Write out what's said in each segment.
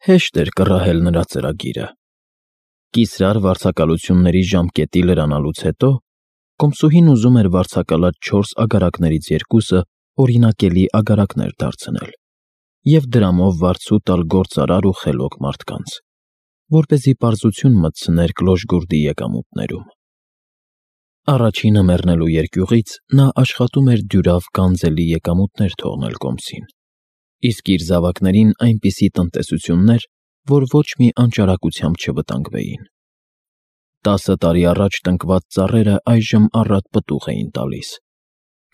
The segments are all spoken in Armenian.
Հեշտ էր կռահել նրա ծրագիրը։ Կիսրար վարձակալությունների ժամկետի լրանալուց հետո կոմսուհին ուզում էր վարձակալած 4 ագարակներից 2-ը օրինակելի ագարակներ դարձնել և դրամով վարձու տալ գործարար ու խելոք մարդկանց, որպեսզի պարզություն մտցներ Կլոժգուրդի եկամուտներում։ Առաջինը մեռնելու երկյուղից նա աշխատում էր դյուրավ գանձելի եկամուտներ թողնել կոմսին, իսկ իր զավակներին այնպիսի տնտեսություններ, որ ոչ մի անճարակությամբ չվտանգվեին։ 10 տարի առաջ տնկված ծառերը այժմ առատ պտուղ էին տալիս,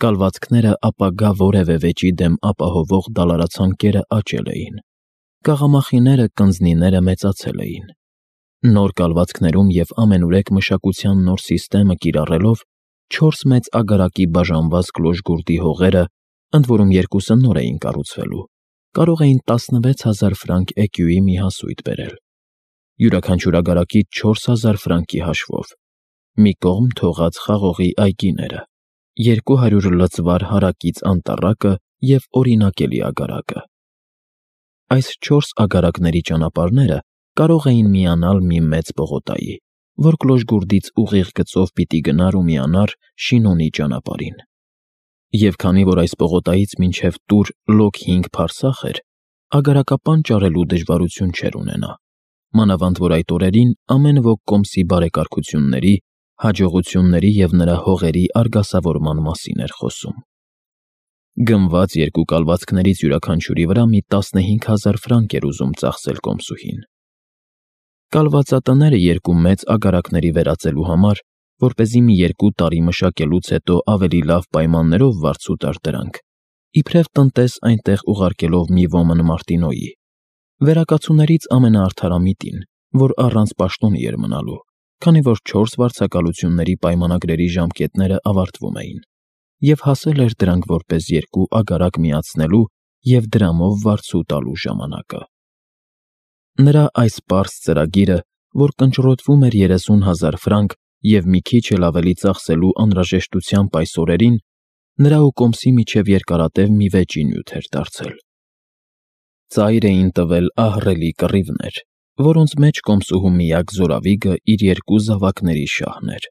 կալվածքները ապագա որևէ վեճի դեմ ապահովող դալարացանկերը աճել էին, կաղամախիները, կնձնիները մեծացել էին։ Նոր կալվածքներում և ամենուրեք մշակության նոր սիստեմը կիրառելով 4 մեծ ագարակի բաժանված Կլոժգուրդի հողերը, ընդ որում 2-ը նոր էին կառուցվելու, կարող էին 16,000 ֆրանկ էկյուի մի հասույթ բերել, յուրաքանչյուր ագարակից 4,000 ֆրանկի հաշվով, մի կողմ թողած խաղողի այգիները, 200 լցվար հարակից անտառակը և օրինակելի ագարակը։ Այս 4 ագարակների ճանապարհները կարող էին միանալ մի մեծ պողոտայի, որ Կլոժգուրդից ուղիղ գծով պիտի գնար ու միանար Շինոնի ճանապարհին։ Եվ քանի որ այս պողոտայից մինչև Տուր լոկ 5 փարսախ էր, ագարակապան ճարելու դժվարություն չէր ունենա, մանավանդ որ այդ օրերին ամեն ոք կոմսի բարեկարգությունների, հաջողությունների և նրա հողերի արգասավորման մասին էր խոսում։ Գնված 2 կալվածքներից յուրաքանչյուրի վրա մի 15,000 ֆրանկ էր ուզում ծախսել կոմսուհին։ Կալվածատները 2 մեծ ագարակների վերածելու համար, որպեսզի մի 2 տարի մշակելուց հետո ավելի լավ պայմաններով վարձու տար դրանք, իբրև տնտես այնտեղ ուղարկելով մի ոմն Մարտինոյի, վերակացուներից ամենաարդարամիտին, որ առանց պաշտոնի էր մնալու, քանի որ 4 վարձակալությունների պայմանագրերի ժամկետները ավարտվում էին, և հասել էր դրանք որպես 2 ագարակ միացնելու և դրամով վարձու տալու ժամանակը։ Նրա այս պարզ ծրագիրը, որ կնճռոտվում էր 30,000 ֆրանկ և մի քիչ էլ ավելի ծախսելու անհրաժեշտությամբ այս օրերին, նրա ու կոմսի միջև երկարատև մի վեճի նյութ էր դարձել։ Ծայր էին տվել ահռելի կռիվներ, որոնց մեջ կոմսուհու միակ զորավիգը իր 2 զավակների շահն էր։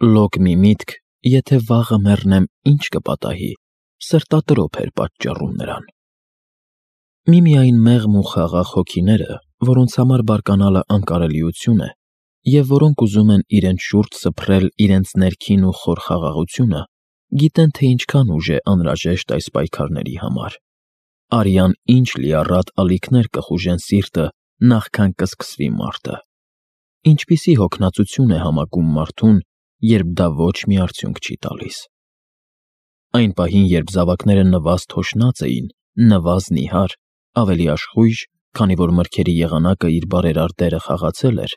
Լոկ մի միտք, եթե վաղը մեռնեմ, ինչ կպատահի, սրտատրոփ էր պատճառում նրան։ Միմիայն մեղմ ու խաղաղ հոգիները, որոնց համար բարկանալը անկարելիություն է, և որոնք ուզում են իրենց շուրջ սփռել իրենց ներքին ու խոր խաղաղությունը, գիտեն, թե ինչքան ուժ է անհրաժեշտ այս պայքարների համար։ Արյան ինչ լիառատ ալիքներ կխուժեն սիրտը, նախքան կսկսվի մարտը։ Ինչպիսի հոգնածություն է համակում մարդուն, երբ դա ոչ մի արդյունք չի տալիս։ Այն պահին, երբ զավակները նվազ թոշնած էին, նվազ նիհար, ավելի աշխույժ, քանի որ մրգերի եղանակը իր բարերար դերը խաղացել էր,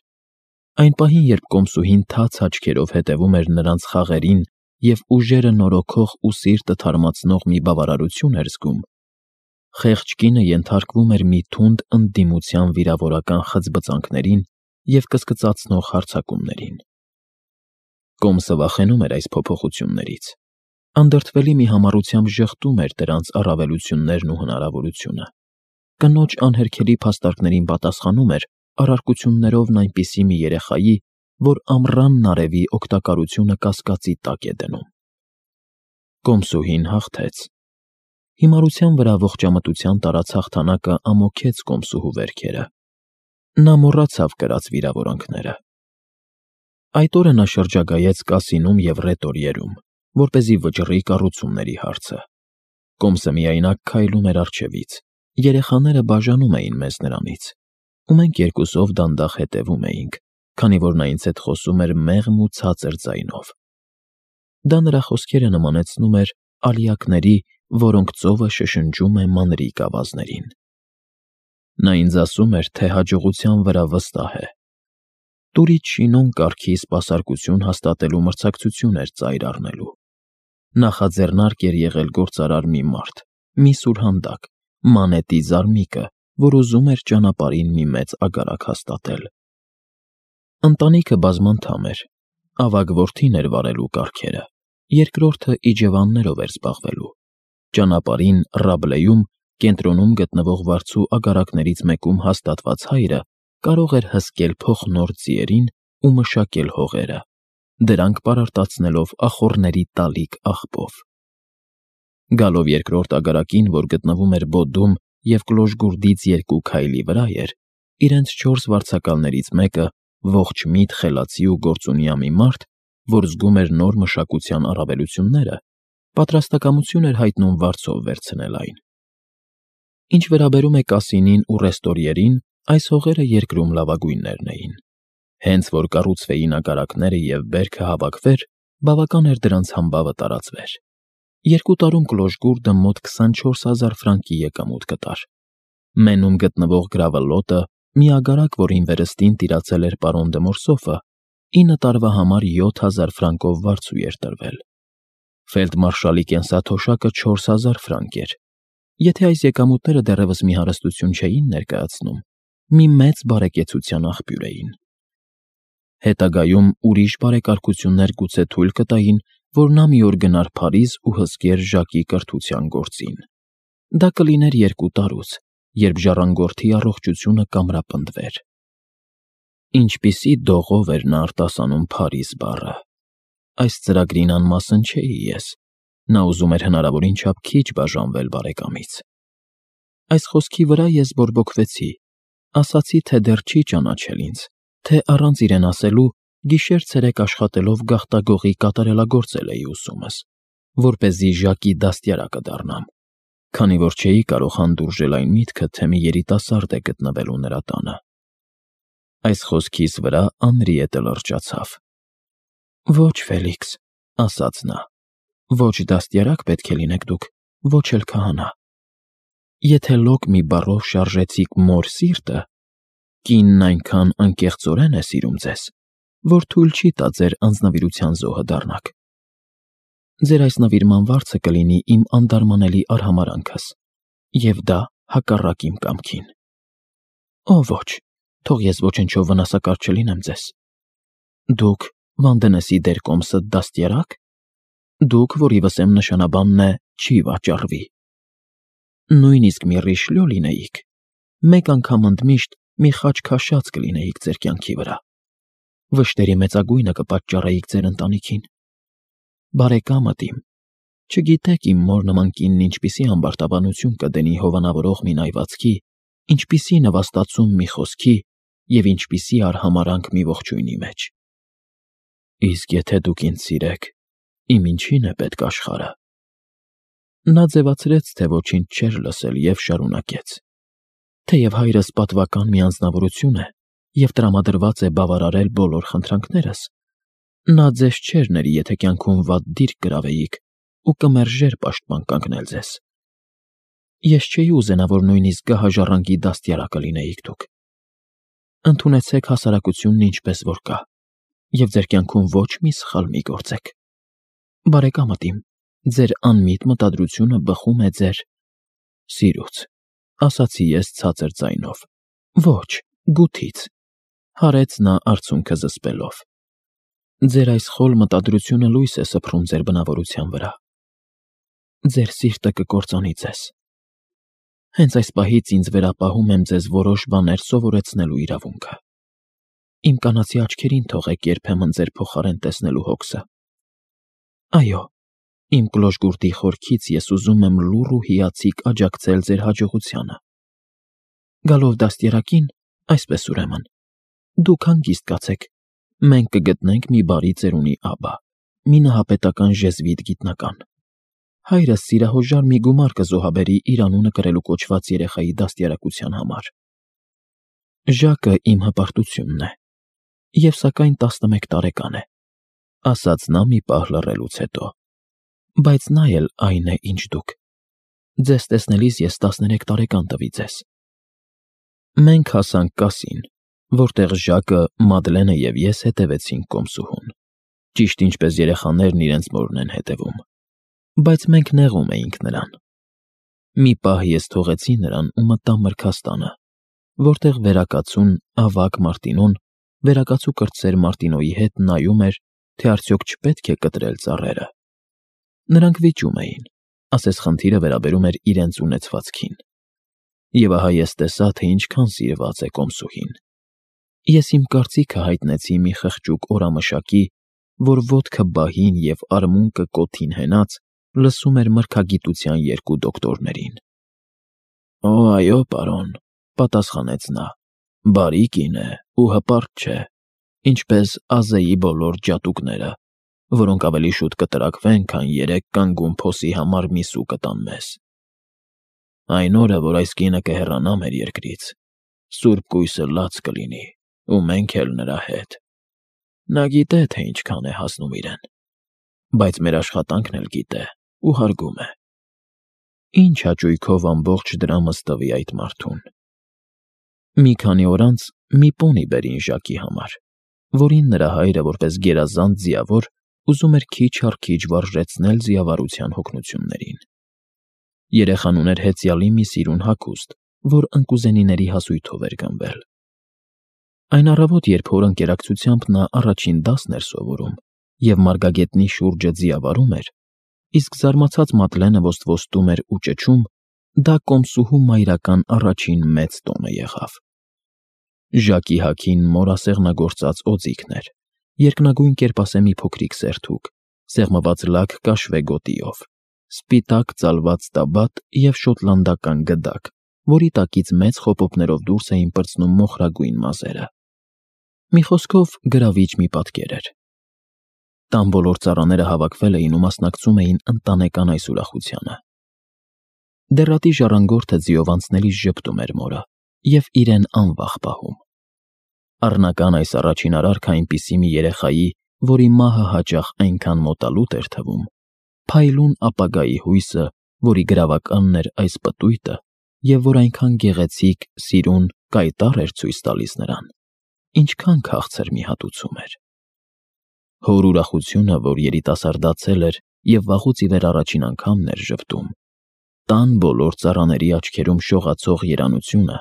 այն պահին, երբ կոմսուհին թաց աչքերով հետևում էր նրանց խաղերին և ուժերը նորոգող ու սիրտը թարմացնող մի բավարարություն էր զգում, խեղճ կինը ենթարկվում էր մի թունդ ընդդիմության վիրավորական խծբծանքներին և կսկծացնող հարձակումներին։ Կոմսը վախենում էր այս փոփոխություններից, անդրդվելի մի համառությամբ ժխտում էր դրանց առավելություններն ու հնարավորությունը, կնոջ անհերքելի փաստարկներին պատասխանում էր առարկություններով այնպիսի մի երեխայի, որ ամռանն արևի օգտակարությունը կասկածի տակ է դնում։ Կոմսուհին հաղթեց։ Հիմարության վրա ողջամտության տարած հաղթանակը ամոքեց կոմսուհու վերքերը։ Նա մոռացավ կրած վիրավորանքները։ Այդ օրը նա շրջագայեց կասինում և ռետորիերում, որպեսզի վճռի կառուցումների հարցը։ Կոմսը միայնակ քայլում էր առջևից, երեխաները բաժանում էին մեզ նրանից, ու մենք երկուսով դանդաղ հետևում էինք, քանի որ նա ինձ հետ խոսում էր մեղմ ու ցածր ձայնով։ Դա նրա խոսքերը նմանեցնում էր ալիակների, որոնք ծովը շշնջում է մանրիկ ավազներին։ Նա ինձ ասում էր, թե հաջողության վրա վստահ է։ Տուրից Շինոն կարգի սպասարկություն հաստատելու մրցակցություն էր ծայր առնելու։ Նախաձեռնարկ էր եղել գործարար մի մարդ, մի սուրհանդակ, մանետի զարմիկը, որ ուզում էր ճանապարհին մի մեծ ագարակ հաստատել։ Ընտանիքը բազմանդամ էր, ավագ որդին էր վարելու կառքերը, երկրորդը իջևաններով էր զբաղվելու, ճանապարհին Ռաբլեում Կենտրոնում գտնվող վարձու ագարակներից մեկում հաստատված հայրը կարող էր հսկել փոխնոր ձիերին ու մշակել հողերը, դրանք պարարտացնելով ախոռների տալիք աղբով։ Գալով երկրորդ ագարակին, որ գտնվում էր Բոդում և Կլոժգուրդից 2 քայլի վրա էր, իրենց 4 վարձակալներից մեկը, ողջ միտ խելացի ու գործունյա մի մարդ, որ զգում էր նոր մշակության առավելությունները, պատրաստակամություն էր հայտնում վարձով վերցնել այն։ Ինչ վերաբերում է կասինին ու ռեստորիերին, այս հողերը երկրում լավագույններն էին։ Հենց որ կառուցվեին ագարակները և բերքը հավաքվեր, բավական էր դրանց համբավը տարածվեր։ 2 տարում Կլոժգուրդը մոտ 24,000 ֆրանկի եկամուտ կտար։ Մենում գտնվող գրավլոտը, մի ագարակ, որին վերստին տիրացել էր պարոն դը Մորսոֆը, 9 տարվա համար 7,000 ֆրանկով վարձու էր տրվել։ Ֆելդմարշալի կենսաթոշակը 4,000 ֆրանկ էր։ Եթե այս եկամուտները դեռևս մի հարստություն չէին ներկայացնում, մի մեծ բարեկեցության աղբյուր էին։ Հետագայում ուրիշ բարեկարգություններ գուցե թույլ կտային, որ նա մի օր գնար Փարիզ ու հսկեր Ժակի կրթության գործին։ Դա կլիներ 2 տարուց, երբ ժառանգորդի առողջությունը կամրապնդվեր։ Ինչպիսի դողով էր նա արտասանում Փարիզ բառը։ Այս ծրագրին անմասն չէի ես։ Նա ուզում էր հնարավորին չափ քիչ բաժանվել բարեկամից։ Այս խոսքի վրա ես բորբոքվեցի, ասացի, թե դեռ չի ճանաչել ինձ, թե առանց իրեն ասելու գիշեր-ցերեկ աշխատելով գաղտագողի կատարելագործել էի ուսումս, որպեսզի Ժակի դաստիարակը դառնամ, քանի որ չէի կարող հանդուրժել այն միտքը, թե մի երիտասարդ է գտնվելու նրա տանը։ Այս խոսքիս վրա Անրիետը լրջացավ։ Ոչ, Ֆելիքս, ասաց նա, ոչ դաստիարակ պետք է լինեք դուք, ոչ էլ քահանա։ Եթե լոկ մի բառով շարժեցիք մոր սիրտը, կինն այնքան անկեղծորեն է սիրում ձեզ, որ թույլ չի տա ձեր անձնվիրության զոհը դառնաք։ Ձեր այս նվիրման վարձը կլինի իմ անդարմանելի արհամարանքս, և դա հակառակ իմ կամքին։ Օ ոչ, թող ես ոչնչով վնասակար չլինեմ ձեզ։ Դուք Վանդենեսի դերկոմսը դաստիարակ։ Դուք, որի վսեմ նշանաբանն է չի վաճառվի։ Նույնիսկ մի Ռիշլյո լինեիք, մեկ անգամ ընդմիշտ մի խաչ քաշած կլինեիք ձեր կյանքի վրա։ Վշտերի մեծագույնը կպատճառեիք ձեր ընտանիքին։ Բարեկամդ իմ, չգիտեք իմ մոր նման կինն ինչպիսի ամբարտավանություն կդնի հովանավորող մի նայվածքի, ինչպիսի նվաստացում մի խոսքի և ինչպիսի արհամարանք մի ողջույնի մեջ։ Իսկ եթե դուք ինձ սիրեք, իմ ինչին է պետք աշխարհը։ Նա ձևացրեց, թե ոչինչ չէր լսել և շարունակեց. Թեև հայրս պատվական մի անձնավորություն է և տրամադրված է բավարարել բոլոր խնդրանքներս, նա ձեզ չէր ների, եթե կյանքում վատ դիրք գրավեիք ու կմերժեր պաշտպան կանգնել ձեզ։ Ես չէի ուզենա, որ նույնիսկ գահաժառանգի դաստիարակը լինեիք դուք։ Ընդունեցեք հասարակությունն ինչպես որ կա, և ձեր կյանքում ոչ մի սխալ մի գործեք։ Բարեկամդ իմ, ձեր անմիտ մտադրությունը բխում է ձեր սիրուց, ասացի ես ցածր ձայնով։ Ոչ, գութից, հարեց նա արցունքը զսպելով։ Ձեր այս խոլ մտադրությունը լույս է սփռում ձեր բնավորության վրա։ Ձեր սիրտը կկործանի ձեզ։ Հենց այս պահից ինձ վերապահում եմ ձեզ որոշ բաներ սովորեցնելու իրավունքը։ Իմ կանացի աչքերին թողեք երբեմն ձեր փոխարեն տեսնելու հոգսը։ Այո, իմ Կլոժգուրդի խորքից ես ուզում եմ լուռ ու հիացիկ աջակցել ձեր հաջողությանը։ Գալով դաստիարակին, այսպես ուրեմն, դուք հանգիստ կացեք, մենք կգտնենք մի բարի ծերունի աբա, մի նահապետական ժեզվիտ գիտնական։ Հայրս սիրահոժար մի գումար կզոհաբերի իր անունը կրելու կոչված երեխայի դաստիարակության համար։ Ժակը իմ հպարտությունն է, և սակայն 11 տարեկան է, ասաց նա մի պահ լռելուց հետո, բայց նա էլ այն է, ինչ դուք։ Ձեզ տեսնելիս ես 13 տարեկան տվի ձեզ։ Մենք հասանք կասին, որտեղ Ժակը, Մադլենը և ես հետևեցինք կոմսուհուն, ճիշտ ինչպես երեխաներն իրենց մորն են հետևում, բայց մենք նեղում էինք նրան։ Մի պահ ես թողեցի նրան ու մտա մրգաստանը, որտեղ վերակացուն ավագ Մարտինոն, վերակացու կրտսեր Մարտինոյի հետ նայում էր, թե արդյոք չպետք է կտրել ծառերը։ Նրանք վիճում էին, ասես խնդիրը վերաբերում էր իրենց ունեցվածքին։ Եվ ահա ես տեսա, թե ինչքան սիրված է կոմսուհին։ Ես իմ կարծիքը հայտնեցի մի խղճուկ օրամշակի, որ ոտքը բահին և արմունկը կոթին հենած լսում էր մրգագիտության երկու դոկտորներին։ «Օ, այո, պարոն», պատասխանեց նա, «բարի կին է ու հպարտ չէ, ինչպես Ազեի բոլոր ջատուկները, որոնք ավելի շուտ կտրակվեն, քան 3 կանգուն փոսի համար մի սու կտան մեզ։ Այն օրը, որ այս կինը կհեռանա մեր երկրից, սուրբ կույսը լաց կլինի, ու մենք էլ նրա հետ։ Նա գիտե, թե ինչքան է հասնում իրեն, բայց մեր աշխատանքն էլ գիտե ու հարգում է։ Ինչ հաճույքով ամբողջ դրամս տվի այդ մարդուն»։ Մի քանի օր անց մի պոնի բերին Ժակի համար, որին նրա հայրը որպես գերազանց ձիավոր ուզում էր քիչ առ քիչ վարժեցնել ձիավարության հոգնություններին։ Երեխան ուներ հեծյալի մի սիրուն հագուստ, որ ընկուզենիների հասույթով էր գնվել։ Այն առավոտ, երբ հոր ընկերակցությամբ նա առաջին դասն էր սովորում և մարգագետնի շուրջը ձիավարում էր, իսկ զարմացած Մատլենը ոստվոստում էր ու ճչում, դա կոմսուհու մայրական առաջին մեծ տոնը եղավ։ Ժակի հագին մորասեղնագործած օձիքն էր, երկնագույն կերպասե մի փոքրիկ սերթուկ, սեղմված լաք կաշվե գոտիով, սպիտակ ծալված տաբատ և շոտլանդական գդակ, որի տակից մեծ խոպոպներով դուրս էին պրծնում մոխրագույն մազերը։ Մի խոսքով, գրավիչ մի պատկեր էր։ Տան բոլոր ծառաները հավաքվել էին ու մասնակցում էին ընտանեկան այս ուրախությանը։ Դեռատի ժառանգորդը ձիով անցնելիս ժպտում էր մորը և իրեն անվախ պահում։ Առնական այս առաջին արարքը այնպիսի մի երեխայի, որի մահը հաճախ այնքան մոտալուտ էր թվում, փայլուն ապագայի հույսը, որի գրավականն էր այս պտույտը, և որ այնքան գեղեցիկ, սիրուն, կայտառ էր ցույց տալիս նրան, ինչքան քաղցր մի հատուցում էր։ Հոր ուրախությունը, որ երիտասարդացել էր և վաղուց ի վեր առաջին անգամն էր ժպտում, տան բոլոր ծառաների աչքերում շողացող երանությունը,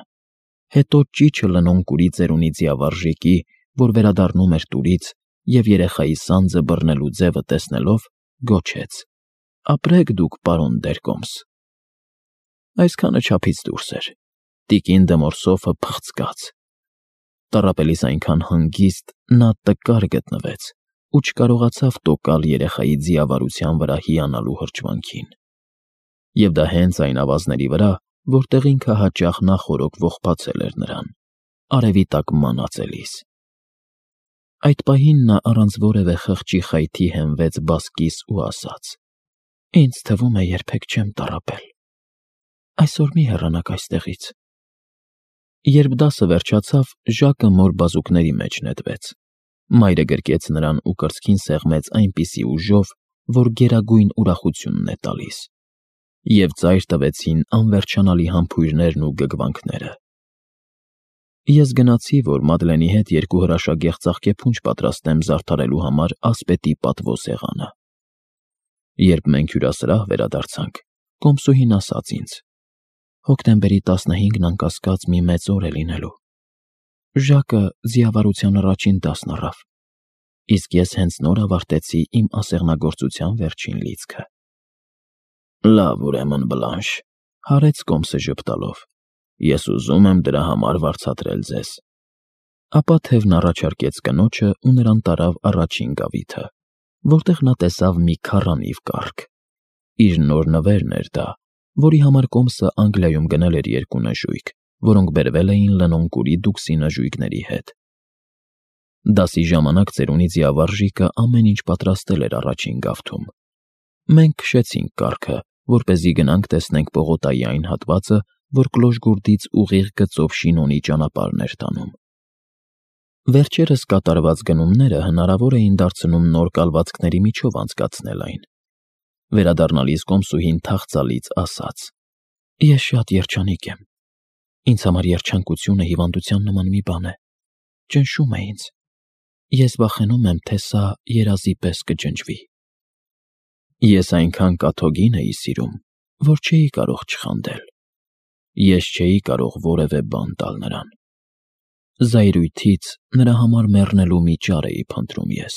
հետո ճիչը լնոնկուրի ծերունի ձիավարժիկի, որ վերադառնում էր տուրից և երեխայի սանձը բռնելու ձևը տեսնելով, գոչեց. «Ապրեք դուք, պարոն Դերկոմս»։ Այսքանը չափից դուրս էր։ Տիկին Դմորսոֆը փղծկաց։ Տառապելիս այնքան հանգիստ նա տկար գտնվեց ու չկարողացավ տոկալ երեխայի ձիավարության վրա հիանալու հրճվանքին։ Եվ դա հենց այն ավազների վրա, որտեղ ինքը հաճախ նախօրոք ողբացել էր նրան, արևի տակ մանածելիս։ Այդ պահին նա առանց որևէ խղճի խայթի հենվեց բազկիս ու ասաց. «Ինձ թվում է, երբեք չեմ տառապել։ Այսօր մի հեռանաք այստեղից»։ Երբ դասը վերջացավ, Ժակը մոր բազուկների մեջ նետվեց։ Մայրը գրկեց նրան ու կրծքին սեղմեց այնպիսի ուժով, որ գերագույն ուրախությունն է տալիս։ Եվ ծայր տվեցին անվերջանալի համբույրներն ու գգվանքները։ Ես գնացի, որ Մադլենի հետ 2 հրաշագեղ ծաղկեփունջ պատրաստեմ զարդարելու համար ասպետի պատվո սեղանը։ Երբ մենք հյուրասրահ վերադարձանք, կոմսուհին ասաց ինձ. «Հոկտեմբերի 15-ն անկասկած մի մեծ օր է լինելու։ Ժակը ձիավարության առաջին դասն առավ, իսկ ես հենց նոր ավարտեցի իմ ասեղնագործության վերջին լիցքը»։ «Լավ, ուրեմն, Բլանշ», հարեց կոմսը ժպտալով, «ես ուզում եմ դրա համար վարձատրել ձեզ»։ Ապա թևն առաջարկեց կնոջը ու նրան տարավ առաջին գավիթը, որտեղ նա տեսավ մի քառանիվ կառք։ Իր նոր նվերն էր դա, որի համար կոմսը Անգլիայում գնել էր 2 նժույգ, որոնք բերվել էին լնոնկուրի դուքսի նժույգների հետ։ Դասի ժամանակ ծերունի ձիավարժիկը ամեն ինչ պատրաստել էր առաջին գավթում։ Մենք քշեցինք կառքը, որպեսզի գնանք տեսնենք պողոտայի այն հատվածը, որ Կլոժգուրդից ուղիղ գծով Շինոնի ճանապարհն էր տանում։ Վերջերս կատարված գնումները հնարավոր էին դարձնում նոր կալվածքների միջով անցկացնել այն։ Վերադառնալիս կոմսուհին թախծալից ասաց. «Ես շատ երջանիկ եմ։ Ինձ համար երջանկությունը հիվանդության նման մի բան է։ Ճնշում է ինձ։ Ես վախենում եմ, թե սա երազի պես կջնջվի»։ Ես այնքան կաթոգին էի սիրում, որ չէի կարող չխանդել։ Ես չէի կարող որևէ բան տալ նրան։ Զայրույթից նրա համար մեռնելու մի ճար էի փնտրում ես։